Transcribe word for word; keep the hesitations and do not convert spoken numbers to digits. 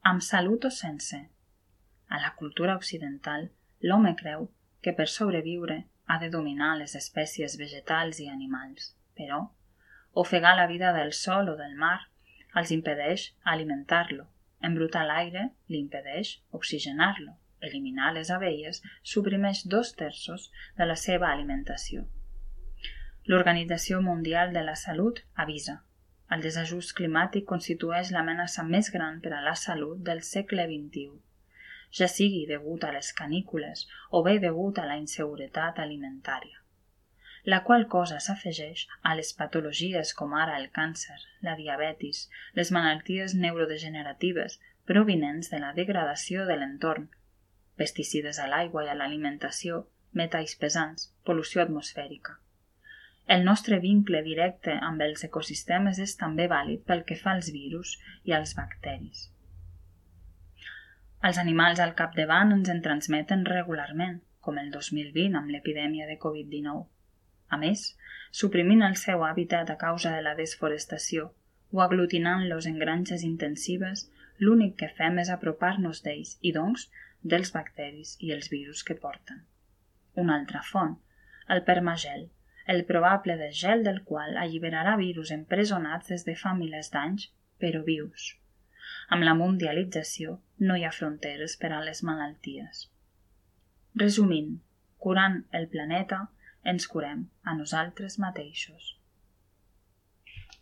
amb salut o sense. A la cultura occidental, l'home creu que per sobreviure ha de dominar les espècies vegetals i animals, però ofegar la vida del sol o del mar els impedeix alimentar-lo, embrutar l'aire li impedeix oxigenar-lo, eliminar les abelles suprimeix dos terços de la seva alimentació. L'Organització Mundial de la Salut avisa: el desajust climàtic constitueix l'amenaça més gran per a la salut del segle vint-i-u, ja sigui degut a les canícules o bé degut a la inseguretat alimentària, la qual cosa s'afegeix a les patologies com ara el càncer, la diabetis, les malalties neurodegeneratives provinents de la degradació de l'entorn, pesticides a l'aigua i a l'alimentació, metalls pesants, pol·lució atmosfèrica. El nostre vincle directe amb els ecosistemes és també vàlid pel que fa als virus i als bacteris. Els animals al capdavant ens en transmeten regularment, com el dos mil vint amb l'epidèmia de covid dinou. A més, suprimint el seu hàbitat a causa de la desforestació o aglutinant-los en granges intensives, l'únic que fem és apropar-nos d'ells i, doncs, dels bacteris i els virus que porten. Una altra font, el permagel, el probable desgel del qual alliberarà virus empresonats des de fa milers d'anys, però vius. Amb la mundialització no hi ha fronteres per a les malalties. Resumint, curant el planeta, ens curem a nosaltres mateixos.